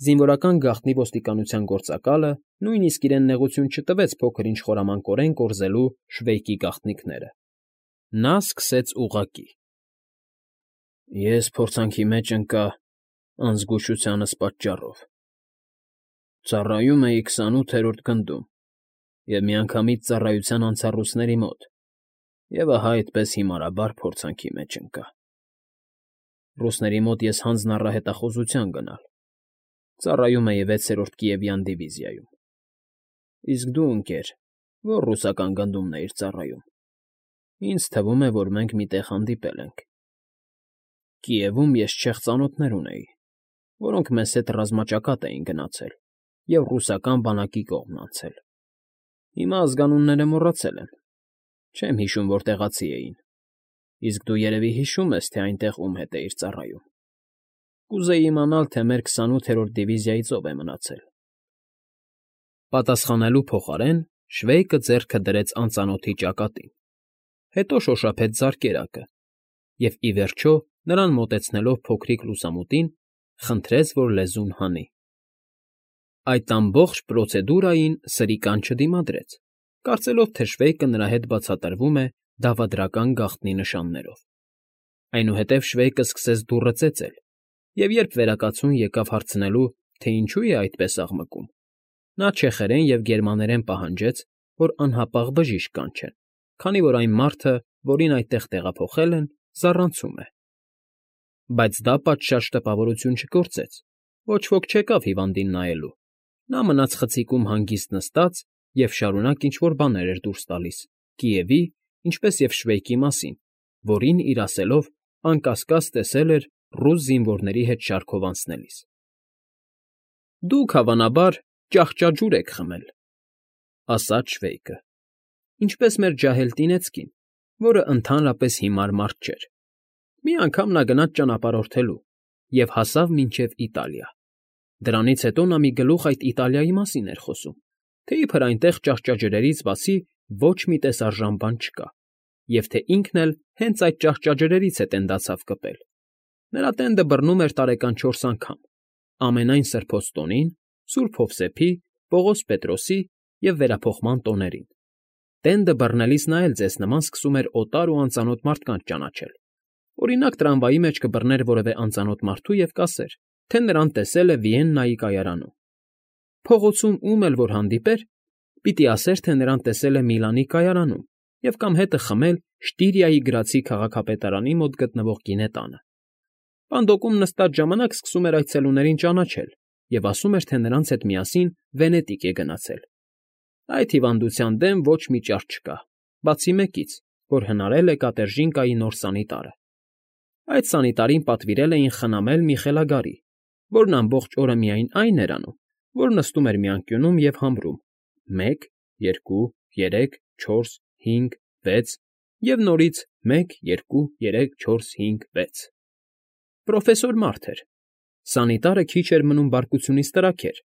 Զինվորական գաղտնի ոստիկանության գործակալը նույնիսկ իրեն նեղություն չտվեց փոքր-ինչ խորամանկորեն կորզելու Շվեյկի գաղտնիքները. նա սկսեց ուղղակի. Ես փորձանքի մեջ ընկա անզգուշությանս պատճառով. ծառայում էի 28-րդ գնդում և միանգամից ծառայության անցա ռուսների մոտ, և ահա այդպես հիմարաբար փորձանքի մեջ ընկա։ Ռուսների մոտ ես հանձն առա հետախուզության գնալ, ծառայում էի 6-րդ Կիևյան դիվիզիայում։ Իսկ դու, ընկեր, ո՞ր ռուսական գնդումն էիր ծառայում։ Ինձ թվում է, որ մենք մի տեղ հանդիպել ենք։ Կիևում ես չեխ ծանոթներ ունեի, որոնք մեզ հետ ռազմաճակատ էին գնացել և ռուսական բանակի կողմն անցել։ Հիմա ազգանունները մոռացել եմ, չեմ հիշում, որ տեղացի էին, իսկ դու երևի հիշում ես, թե այնտեղ ում հետ էիր ծառայում։ Կուզեի իմանալ, թե մեր 28-րդ դիվիզիայից ով է մնացել։ Պատասխանելու փոխարեն Շվեյկը ձեռքը դրեց անծանոթի ճակատին, հետո շոշափեց զարկերակը և, ի վերջո, նրան մոտեցնելով փոքրիկ լուսամուտին, խնդրեց, որ լեզուն հանի։ Այդ ամբողջ պրոցեդուրային սրիկան չդիմադրեց, կարծելով, թե Շվեյկը նրա հետ բացատրվում է դավադրական գաղտնի նշաններով։ Այնուհետև Շվեյկը սկսեց դուռը ծեծել, և երբ վերակացուն եկավ հարցնելու, թե ինչու է այդպես աղմկում, նա չեխերեն և գերմաներեն պահանջեց, որ անհապաղ բժիշկ կանչեն, քանի որ այն մարդը, որին այդտեղ տեղափոխել են, զառանցում է։ Բայց դա պատշաճ տպավորություն չգործեց, ոչ ոք չեկավ հիվանդին նայելու։ Նա մնաց խցիկում հանգիստ նստած և շարունակ ինչ֊որ բաներ էր դուրս տալիս Կիևի, ինչպես և Շվեյկի մասին, որին, իր ասելով, անկասկած տեսել էր ռուս զինվորների հետ շարքով անցնելիս։ Դուք, հավանաբար, ճահճաջուր եք խմել, ֊ ասաց Շվեյկը, ինչպես մեր ջահել Տնեցկին, որը ընդհանրապես հիմար մարդ չէր։ Մի անգամ նա գնաց ճանապարհորդելու և հասավ մինչև Իտալիա։ Դրանից հետո նա մի գլուխ այդ Իտալիայի մասին էր խոսում, թե իբր այնտեղ ճահճաջրերից բացի ոչ մի տեսարժան բան չկա, և թե ինքն էլ հենց այդ ճահճաջրերից է տենդացավ կպել։ Նրա տենդը բռնում էր տարեկան 4 անգամ, ամենայն սրբոց տոնին, Սուրբ Հովսեփի, Պողոս Պետրոսի և վերափոխման տոներին։ Տենդը բռնելիս նա էլ ձեզ նման սկսում էր օտար ու անծանոթ մարդկանց ճանաչել։ Օրինակ, տրամվայի մեջ կբռներ որևէ անծանոթ մարդու և կասեր, թե նրան տեսել է Վիեննայի կայարանում։ Փողոցում ում էլ որ հանդիպեր, պիտի ասեր, թե նրան տեսել է Միլանի կայարանում և կամ հետը խմել Շտիրիայի գրացի քաղաքապետարանի մոտ գտնվող գինետանը։ Պանդոկում նստած ժամանակ սկսում էր այցելուներին ճանաչել և ասում էր, թե նրանց հետ միասին Վենետիկ է գնացել։ Այդ հիվանդության դեմ ոչ մի ճար չկա, բացի մեկից, որ հնարել է Կատերջինկայի նոր սանիտարը։ Այդ սանիտարին պատվիրել էին խնամել մի խելագարի, որն ամբողջ օրը միայն այն էր անում, որ նստում էր մի անկյունում և համրում 1, 2, 3, 4, 5, 6 և նորից 1, 2, 3, 4, 5, 6։ Պրոֆեսոր մարդ էր։ Սանիտարը քիչ էր մնում բարկությունից տրաքեր,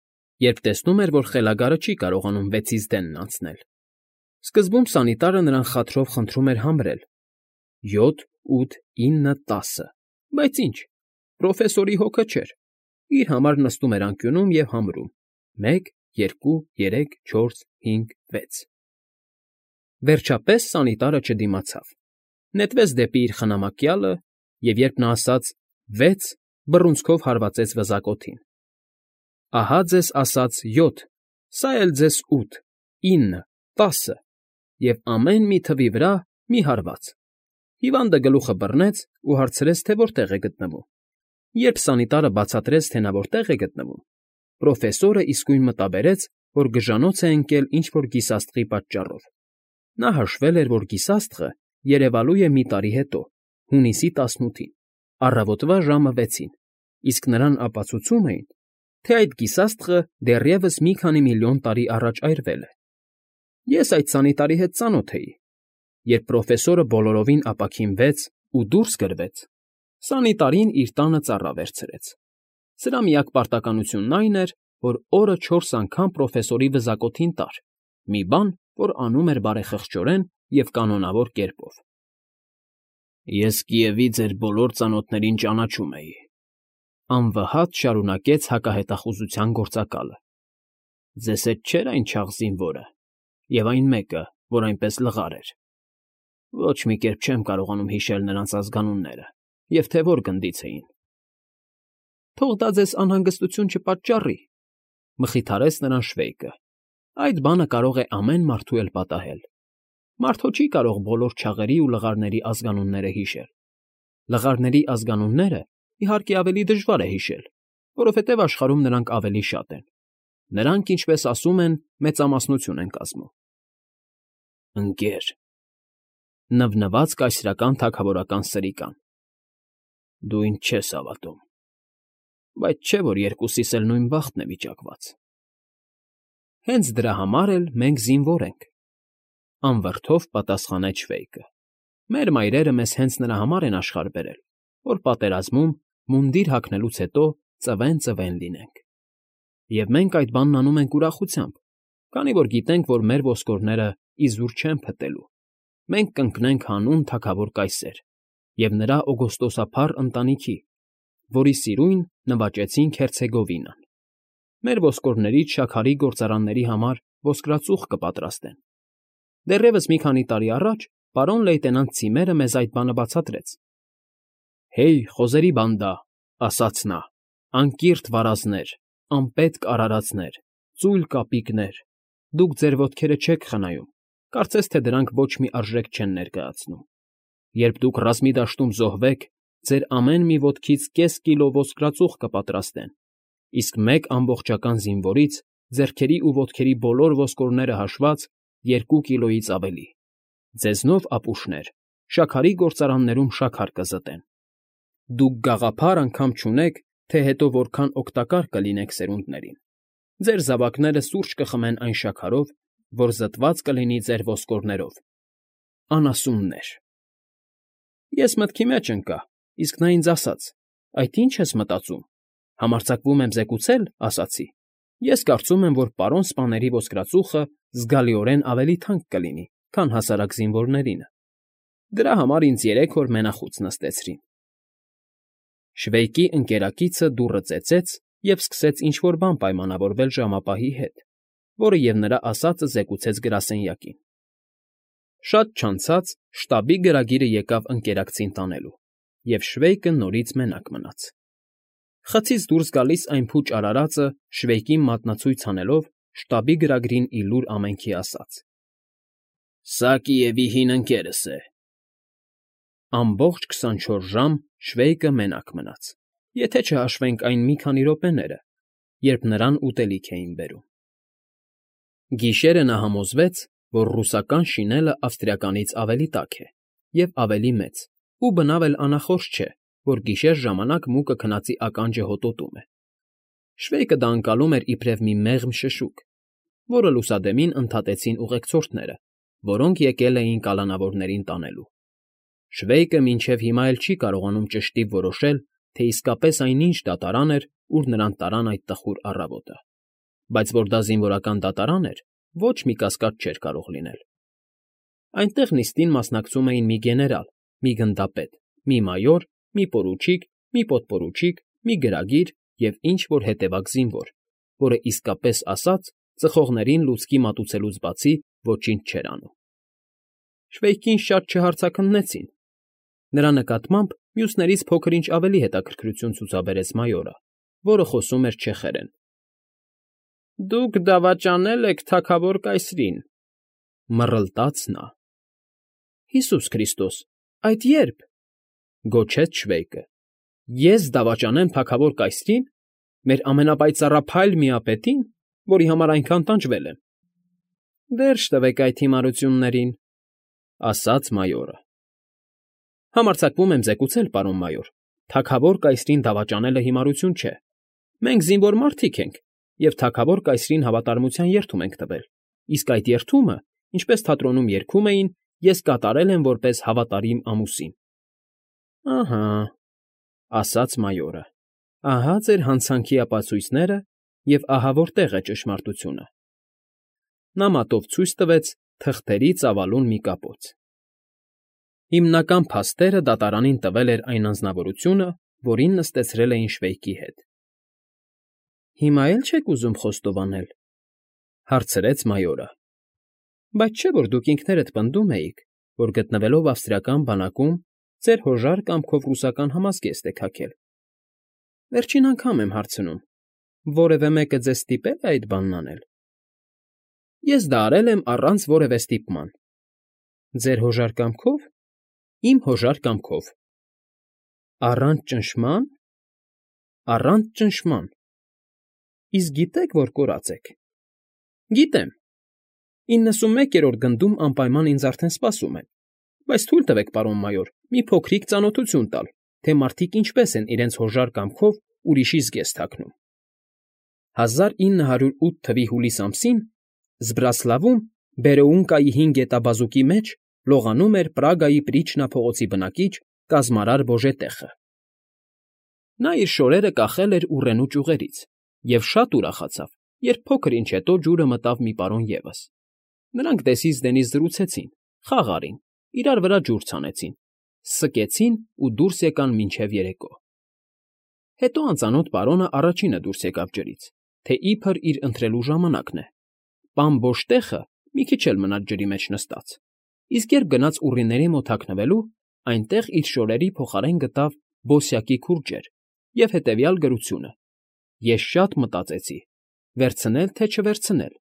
երբ տեսնում էր, որ խելագարը չի կարողանում 6-ից դենն անցնել։ Սկզբում սանիտարը նրան խաթրով խնդրում էր համրել 7, 8, 9, 10, բայց ինչ, պրոֆեսորի հոգը չէր, իր համար նստում էր անկյունում և համրում 1, 2, 3, 4, 5, 6։ Վերջապես սանիտարը չդիմացավ, նետվեց դեպի իր խնամակյալը և, երբ նա ասաց 6, բռունցքով հարվածեց վզակոթին։ Ահա ձեզ ասած 7, սա էլ ձեզ 8, 9, 10 և ամեն մի թվի վրա մի հարված։ Հիվանդը գլուխը բռնեց ու հարցրեց, թե որտեղ է գտնվում։ Երբ սանիտարը բացատրեց, թե նա որտեղ է գտնվում, պրոֆեսորը իսկույն մտաբերեց, որ գժանոց է ընկել ինչ֊որ գիսաստղի պատճառով։ Նա հաշվել էր, որ գիսաստղը երևալու է մի տարի հետո, հունիսի 18-ին, առավոտվա ժամը 6-ին, իսկ նրան ապացուցում էին, թե այդ գիսաստղը դեռևս մի քանի միլիոն տարի առաջ այրվել է։ Ես այդ սանիտարի հետ ծանոթ էի։ Երբ պրոֆեսորը բոլորովին ապաքինվեց ու դուրս գրվեց, սանիտարին իր տանը ծառա վերցրեց։ Սրա միակ պարտականությունն այն էր, որ օրը 4 անգամ պրոֆեսորի վզակոթին տար, մի բան, որ անում էր բարեխղճորեն և կանոնավոր կերպով։ Ես Կիևի ձեր բոլոր ծանոթներին ճանաչում էի, Անվհատ շարունակեց հակահետախուզության գործակալը։ Ձեզ հետ չէր այն չաղ զինվորը, և այն մեկը, որ այնպես լղար էր։ Ոչ մի կերպ չեմ կարողանում հիշել նրանց ազգանունները և թե որ գնդից էին։ Թող դա ձեզ անհանգստություն չպատճառի, մխիթարեց նրան Շվեյկը։ Այդ բանը կարող է ամեն մարդու էլ պատահել։ Մարդ հո չի կարող բոլոր չաղերի ու լղարների ազգանունները հիշել։ Լղարների ազգանունները, իհարկե, ավելի դժվար է հիշել, որովհետև աշխարհում նրանք ավելի շատ են։ Նրանք, ինչպես ասում են, մեծամասնություն են կազմում։ Ընկեր, նվնված կայսրական թագավորական սրիկան։ Դու ինձ չես հավատում, բայց չէ՞ որ երկուսիս էլ նույն բախտն է վիճակված։ Հենց դրա համար էլ մենք զինվոր ենք, անվրդով պատասխանեց Շվեյկը։ Մեր մայրերը մեզ հենց նրա համար են աշխարհ բերել, որ պատերազմում մունդիր հագնելուց հետո ծվեն լինենք։ Եվ մենք այդ բանն անում ենք ուրախությամբ, քանի որ գիտենք, որ մեր ոսկորները իզուր չեն փտելու։ Մենք կընկնենք հանուն թագավոր կայսեր և նրա օգոստոսափառ ընտանիքի, որի սիրուն նվաճեցինք Հերցեգովինան։ Մեր ոսկորներից շաքարի գործարանների համար ոսկրածուխ կպատրաստեն։ Դեռևս մի քանի տարի առաջ պարոն լեյտենանտ Ցիմերը մեզ այդ բանը բացատրեց։ Հեյ, խոզերի բանդա, ասաց նա, անկիրթ վարազներ, անպետք արարածներ, ծույլ կապիկներ, դուք ձեր ոտքերը չեք խնայում, կարծես թե դրանք ոչ մի արժեք չեն ներկայացնում։ Երբ դուք ռազմի դաշտում զոհվեք, ձեր ամեն մի ոտքից կես կիլո ոսկրածուխ կպատրաստեն, իսկ մեկ ամբողջական զինվորից ձեռքերի ու ոտքերի բոլոր ոսկորները հաշված 2 կիլոից ավելի։ Ձեզնով ապուշներ, շաքարի գործարաններում շաքար կզտեն։ Դուք գաղափար անգամ չունեք, թե հետո որքան օգտակար կլինեք սերունդներին։ Ձեր զավակները սուրճ կխմեն այն շաքարով, որ զտված կլինի ձեր ոսկորներով։ Անասուններ։ Ես մտքի մեջ ընկա, իսկ նա ինձ ասաց. «Այդ ի՞նչ ես մտածում։ Համարձակվում եմ զեկուցել», ասացի։ Ես կարծում եմ, որ պարոն սպաների ոսկրածուխը զգալիորեն ավելի թանկ կլինի, քան հասարակ զինվորներինը։ Դրա համար ինձ 3 օր մենախուց նստեցրին։ Շվեյկի ընկերակիցը դուռը ծեծեց և սկսեց ինչ֊որ բան պայմանավորվել ժամապահի հետ, որը և նրա ասածը զեկուցեց գրասենյակին։ Շատ չանցած շտաբի գրագիրը եկավ ընկերակցին տանելու, և Շվեյկը նորից մենակ մնաց։ Խցից դուրս գալիս այն փուչ արարածը Շվեյկին մատնացույց անելով շտաբի գրագրին ի լուր ամենքի ասաց. Սա Կիևի հին ընկերս է։ Ամբողջ 24 ժամ Շվեյկը մենակ մնաց, եթե չհաշվենք այն մի քանի րոպեները, երբ նրան ուտելիք էին բերում։ Գիշերը նա համոզվեց, որ ռուսական շինելը ավստրիականից ավելի տաք է և ավելի մեծ, ու բնավ էլ անախորժ չէ, որ գիշեր ժամանակ մուկը քնածի ականջը հոտոտում է։ Շվեյկը դա ընկալում էր իբրև մի մեղմ շշուկ, որը լուսադեմին ընդհատեցին ուղեկցորդները, որոնք եկել էին կալանավորներին տանելու։ Շվեյկը մինչև հիմա էլ չի կարողանում ճշտիվ որոշել, թե իսկապես այն ինչ դատարան էր, ուր նրան տարան այդ տխուր առավոտը։ Բայց որ դա զինվորական դատարան էր, ոչ մի կասկած չէր կարող լինել։ Այնտեղ նիստին մասնակցում էին մի գեներալ, մի գնդապետ, մի մայոր, մի պորուչիկ, մի պոդպորուչիկ, մի գրագիր և ինչ֊որ հետևակ զինվոր, որը իսկապես ասած ծխողներին լուցկի մատուցելուց բացի ոչինչ չէր անում։ Շվեյկին շատ չհարցաքննեցին։ Նրա նկատմամբ մյուսներից փոքր-ինչ ավելի հետաքրքրություն ցուցաբերեց մայորը, որը խոսում էր չեխերեն։ Դուք դավաճանել եք թագավոր կայսրին, մռլտաց նա։ Հիսուս Քրիստոս, այդ ե՞րբ, գոչեց Շվեյկը։ Ես դավաճանեմ թագավոր կայսրին, մեր ամենապայծառափայլ միապետին, որի համար այնքան տանջվել եմ։ Վերջ տվեք այդ հիմարություններին, ասաց մայորը։ Համարձակվում եմ զեկուցել, պարոն մայոր, թագավոր կայսրին դավաճանելը հիմարություն չէ։ Մենք զինվոր մարդիկ ենք և թագավոր կայսրին հավատարմության երդում ենք տվել, իսկ այդ երդումը, ինչպես թատրոնում երգում էին, ես կատարել եմ որպես հավատարիմ ամուսին։ Ահա, ասաց մայորը, ահա ձեր հանցանքի ապացույցները և ահա որտեղ է ճշմարտությունը։ Նա մատով ցույց տվեց թղթերի ծավալուն մի կապոց։ Հիմնական փաստերը դատարանին տվել էր այն անձնավորությունը, որին նստեցրել էին Շվեյկի հետ։ ֊ Հիմա էլ չեք ուզում խոստովանել,֊ հարցրեց մայորը։ ֊ Բայց չէ՞ որ դուք ինքներդ պնդում էիք, որ գտնվելով ավստրիական բանակում ձեր հոժար կամքով ռուսական համազգեստ եք հագել։ Վերջին անգամ եմ հարցնում. որևէ մեկը ձեզ ստիպե՞լ է այդ բանն անել։ ֊ Ես դա արել եմ առանց որևէ ստիպման։ ֊ Ձեր հոժար կամքով։ ֊ Իմ հոժար կամքով։ ֊ Առանց ճնշման։ ֊ Առանց ճնշման։ ֊ Իսկ գիտե՞ք, որ կորած եք։ ֊ Գիտեմ։ 91-րդ գնդում անպայման ինձ արդեն սպասում են, բայց թույլ տվեք, պարոն մայոր, մի փոքրիկ ծանոթություն տալ, թե մարդիկ ինչպես են իրենց հոժար կամքով ուրիշի զգեստ հագնում։ 1908 թվականի հուլիս ամսին Զբրասլավում Բերեունկայի հին գետաբազուկի մեջ լողանում էր Պրագայի Պրիչնա փողոցի բնակիչ կազմարար Բոժետեխը։ Նա իր շորերը կախել էր ուռենու ճյուղերից և շատ ուրախացավ, երբ փոքր ինչ հետո ջուրը մտավ մի պարոն ևս։ Նրանք դեսից դենից զրուցեցին, խաղ արին, իրար վրա ջուր ցանեցին, սկեցին ու դուրս եկան մինչև երեկո։ Հետո անծանոթ պարոնը առաջինը դուրս եկավ ջրից, թե իբր իր ընթրելու ժամանակն է։ Պան Բոժտեխը մի քիչ էլ մնաց ջրի մեջ նստած, իսկ երբ գնաց ուռիների մոտ հագնվելու, այնտեղ իր շորերի փոխարեն գտավ բոսյակի քուրջեր և հետևյալ գրությունը. «Ես շատ մտածեցի. վերցնել թե չվերցնել,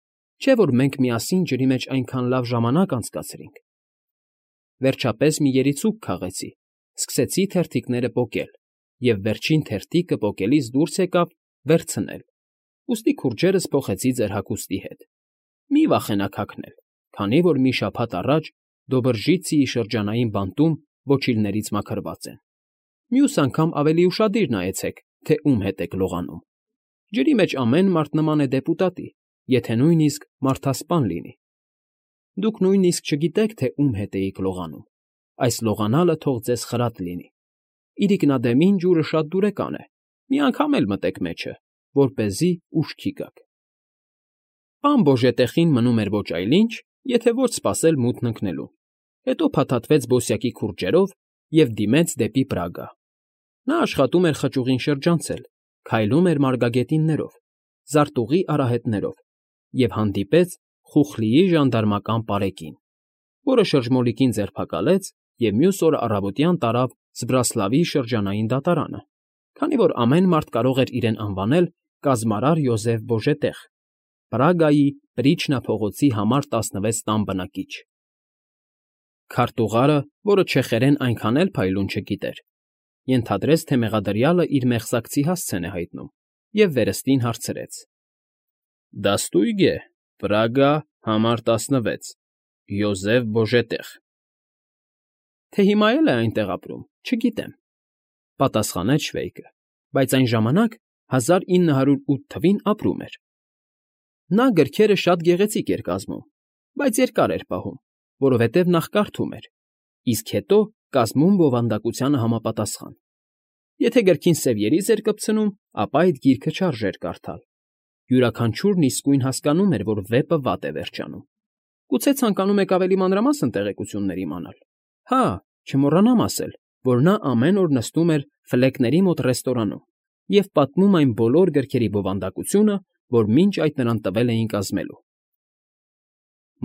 չէ՞ որ մենք միասին ջրի մեջ այնքան լավ ժամանակ անցկացրինք»։ Վերջապես մի երիցուկ քաղեցի, սկսեցի թերթիկները պոկել, և վերջին թերթիկը պոկելիս դուրս եկավ վերցնել, ուստի քուրջերս փոխեցի ձեր հագուստի հետ։ Մի վախենաք հագնել, քանի որ մի շաբաթ առաջ Դոբրժիցիի շրջանային բանտում ոչիլներից մաքրված են։ Մյուս անգամ ավելի ուշադիր նայեցեք, թե ում հետ եք լողանում։ Ջրի մեջ ամեն մարդ նման է դեպուտատի, եթե նույնիսկ մարդասպան լինի։ Դուք նույնիսկ չգիտեք, թե ում հետ էիք լողանում։ Այս լողանալը թող ձեզ խրատ լինի։ Իրիկնադեմին ջուրը շատ դուրեկան է, մի անգամ էլ մտեք մեջը, որպեսզի ուշքի գաք։ Պան Բոժետեխին մնում էր ոչ այլ ինչ, եթե ոչ սպասել մութն ընկնելուն, հետո փաթաթվեց բոսյակի քուրջերով և դիմեց դեպի Պրագա։ Նա աշխատում էր խճուղին շրջանցել, քայլում էր մարգագետիններով, զարտուղի արահետներով և հանդիպեց Խուխլիի ժանդարմական պարեկին, որը շրջմոլիկին ձերբակալեց և մյուս օրը առավոտյան տարավ Զբրասլավի շրջանային դատարանը, քանի որ ամեն մարդ կարող էր իրեն անվանել կազմարար Յոզեֆ Բոժետեղ, Պրագայի Պրիչնա փողոցի համար 16 տան բնակիչ։ Քարտուղարը, որը չեխերեն այնքան էլ փայլուն չգիտեր, ենթադրեց, թե մեղադրյալը իր մեղսակցի հասցեն է հայտնում և վերստին հարցրեց. ֊ Դաստույգ է, Պրագա, համար 16, Յոզեֆ Բոժետեղ։ ֊ Թե հիմա էլ է այնտեղ ապրում, չգիտեմ,֊ պատասխանեց Շվեյկը, բայց այն ժամանակ 1908 թվին ապրում էր։ Նա գրքերը շատ գեղեցիկ էր կազմում, բայց երկար էր պահում, որովհետև նախ կարդում էր, իսկ հետո կազմում բովանդակությանը համապատասխան։ Եթե գրքին սև երիզ էր կպցնում, ապա այդ գիրքը չարժեր կարդալ։ Յուրաքանչյուրն իսկույն հասկանում էր, որ վեպը վատ է վերջանում։ Գուցե ցանկանում եք ավելի մանրամասն տեղեկություններ իմանալ։ Հա, չմոռանամ ասել, որ նա ամեն օր նստում էր Ֆլեկների մոտ ռեստորանում և պատմում այն բոլոր գրքերի բովանդակությունը, որ մինչ այդ նրան տվել էին կազմելու։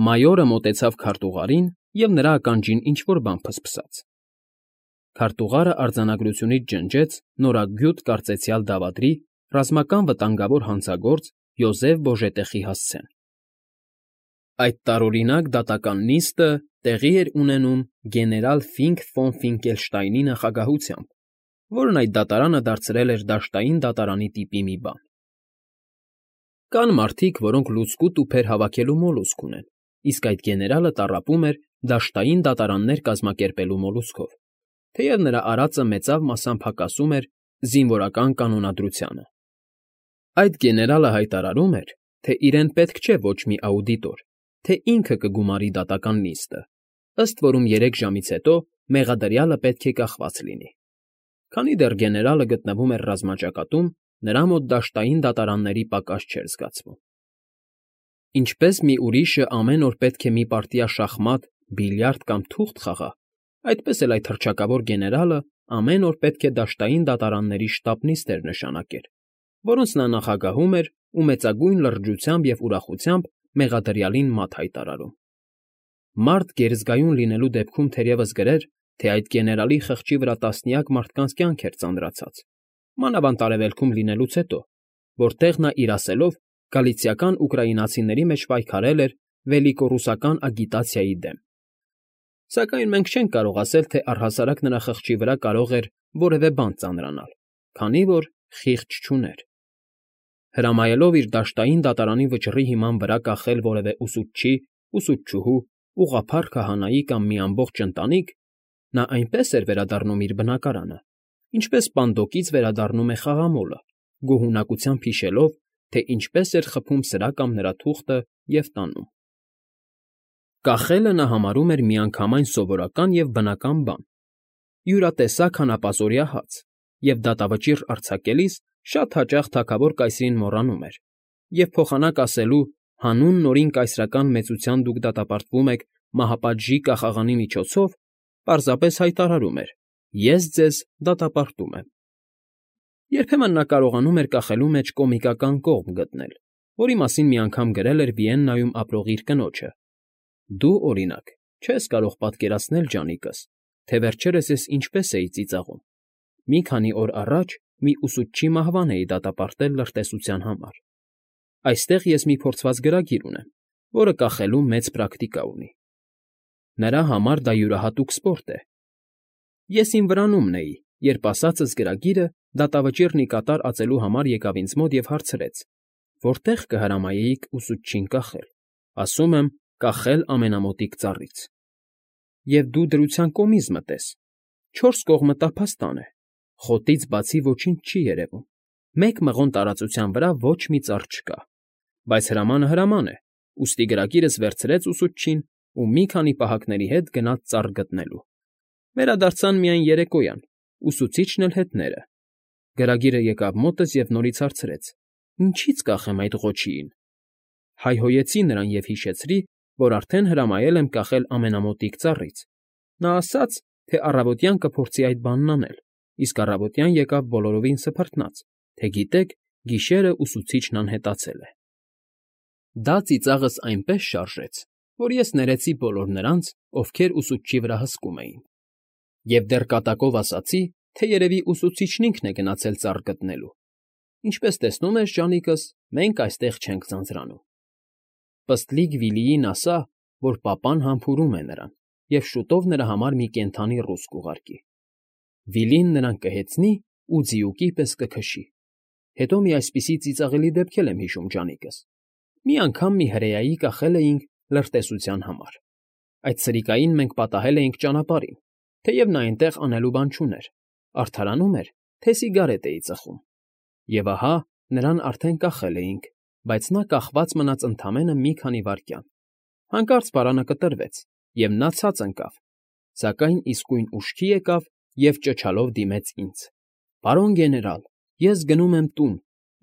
Մայորը մոտեցավ քարտուղարին և նրա ականջին ինչ֊որ բան ֆսֆսաց։ Քարտուղարը արձանագրությունից ջնջեց նորագյուտ կարծեցյալ դավադրի ռազմական վտանգավոր հանցագործ Յոզեֆ Բոժետեխի հասցեն։ Այդ տարօրինակ դատական նիստը տեղի էր ունենում գեներալ Ֆինկ ֆոն Ֆինկելշտայնի նախագահությամբ, որն այդ դատարանը դարձրել էր դաշտային դատարանի տիպի մի բան։ Կան մարդիկ, որոնք լուցկու տուփեր հավաքելու մոլուսք ունեն, իսկ այդ գեներալը տառապում էր դաշտային դատարաններ կազմակերպելու մոլուսքով, թեև նրա արածը մեծավ մասամբ հակասում էր զինվորական կանոնադրությանը։ Այդ գեներալը հայտարարում էր, թե իրեն պետք չէ ոչ մի աուդիտոր, թե ինքը կգումարի դատական նիստը, ըստ որում 3 ժամից հետո մեղադրյալը պետք է կախված լինի։ Քանի դեռ գեներալը գտնվում էր ռազմաճակատում, նրա մոտ դաշտային դատարանների պակաս չէր զգացվում։ Ինչպես մի ուրիշը ամեն օր պետք է մի պարտիա շախմատ, բիլիարդ կամ թուղթ խաղա, այդպես էլ այդ հռչակավոր գեներալը ամեն օր պետք է դաշտային դատարանների շտաբ նիստեր նշանակեր, որոնց նա նախագահում էր ու մեծագույն լրջությամբ և ուրախությամբ մեղադրյալին մատ հայտարարում։ Մարդ գերզգայուն լինելու դեպքում թերևս գրեր, թե այդ գեներալի խղճի վրա տասնյակ մարդկանց կյանք էր ծանրացած, մանավանդ արևելքում լինելուց հետո, որտեղ նա իր ասելով գալիցիական ուկրաինացիների մեջ պայքարել էր վելիկոռուսական ագիտացիայի դեմ։ Սակայն մենք չենք կարող ասել, թե առհասարակ նրա խղճի վրա կարող էր որևէ բան ծանրանալ, քանի որ խիղճ չուներ։ Հրամայելով իր դաշտային դատարանի վճռի հիման վրա կախել որևէ ուսուցչի, ուսուցչուհու, ուղղափառ քահանայի կամ մի ամբողջ ընտանիք, նա այնպես էր վերադառնում իր բնակարանը, ինչպես պանդոկից վերադառնում է խաղամոլը, գոհունակությամբ հիշելով, թե ինչպես էր խփում սրա կամ նրա թուղթը և տանում։ Կախելը նա համարում էր միանգամայն սովորական և բնական բան, յուրատեսակ հանապազօրյա հաց, և դատավճիռ արձակելիս շատ հաճախ թագավոր կայսրին մոռանում էր և փոխանակ ասելու «հանուն նորին կայսրական մեծության դուք դատապարտվում եք մահապատժի կախաղանի միջոցով» պարզապես հայտարարում էր. «Ես ձեզ դատապարտում եմ»։ Երբեմն նա կարողանում էր կախելու մեջ կոմիկական կողմ գտնել, որի մասին մի անգամ գրել էր Վիեննայում ապրող իր կնոջը. «Դու, օրինակ, չես կարող պատկերացնել, ջանիկս, թե վերջերս ես ինչպես էի ծիծաղում։ Մի քանի օր առաջ մի ուսուցչի մահվան էի դատապարտել լրտեսության համար։ Այստեղ ես մի փորձված գրագիր ունեմ, որը կախելու մեծ պրակտիկա ունի։ Նրա համար դա յուրահատուկ սպորտ է։ Ես իմ վրանումն էի, երբ ասածս գրագիրը դատավճիռն ի կատար ածելու համար եկավ ինձ մոտ և հարցրեց. որտե՞ղ կհրամայեիք ուսուցչին կախել։ Ասում եմ՝ կախել ամենամոտիկ ծառից։ Եվ դու դրության կոմիզ մտես։ Չորս կողմը տափաստան է, խոտից բացի ոչինչ չի երևում, մեկ մղոն տարածության վրա ոչ մի ծառ չկա։ Բայց հրամանը հրաման է, ուստի գրագիրս վերցրեց ուսուցչին ու մի քանի պահակների հետ գնաց ծառ գտնելու։ Վերադարձան միայն երեկոյան, ուսուցիչն էլ հետները։ Գրագիրը եկավ մոտս և նորից հարցրեց. ինչի՞ց կախեմ այդ ղոչիին։ Հայհոյեցի նրան և հիշեցրի, որ արդեն հրամայել եմ կախել ամենամոտիկ ծառից։ Նա ասաց, թե առավոտյան կփորձի այդ բանն անել, իսկ առավոտյան եկավ բոլորովին սփռտնած, թե գիտեք, գիշերը ուսուցիչն անհետացել է։ Դա ծիծաղս այնպես շարժեց, որ ես ներեցի բոլոր նրանց, ովքեր ուսուցչի վրա հսկում էին, և դեռ կատակով ասացի, թե երևի ուսուցիչն ինքն է գնացել ծառ գտնելու։ Ինչպես տեսնում ես, ջանիկս, մենք այստեղ չենք ձանձրանում։ Պստլիկ Վիլիին ասա, որ պապան համբուրում է նրան և շուտով նրա համար մի կենդանի ռուս կուղարկի։ Վիլին նրան կհեծնի ու ձիուկի պես կքշի։ Հետո մի այսպիսի ծիծաղելի դեպք էլ եմ հիշում, ջանիկս։ Մի անգամ մի հրեայի կախել էինք լրտեսության համար։ Այդ սրիկային մենք պատահել էինք ճանապարհին, թեև նա այնտեղ անելու բան չուներ, արդարանում էր, թե սիգարետ էի ծխում։ Եվ ահա նրան արդեն կախել էինք, բայց նա կախված մնաց ընդամենը մի քանի վայրկյան։ Հանկարծ պարանը կտրվեց, և նա ցած ընկավ, սակայն իսկույն ուշքի եկավ և ճչալով դիմեց ինձ. «Պարոն գեներալ, ես գնում եմ տուն,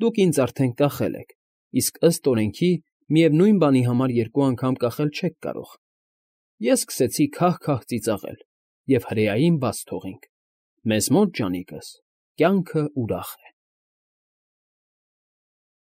դուք ինձ արդեն կախել եք, իսկ ըստ օրենքի միևնույն բանի համար երկու անգամ կախել չեք կարող»։ Ես սկսեցի քահ֊քահ ծիծաղել, և հրեային բաց թողինք։ Մեզ մոտ, ջանիկս, կյանքը ուրախ է։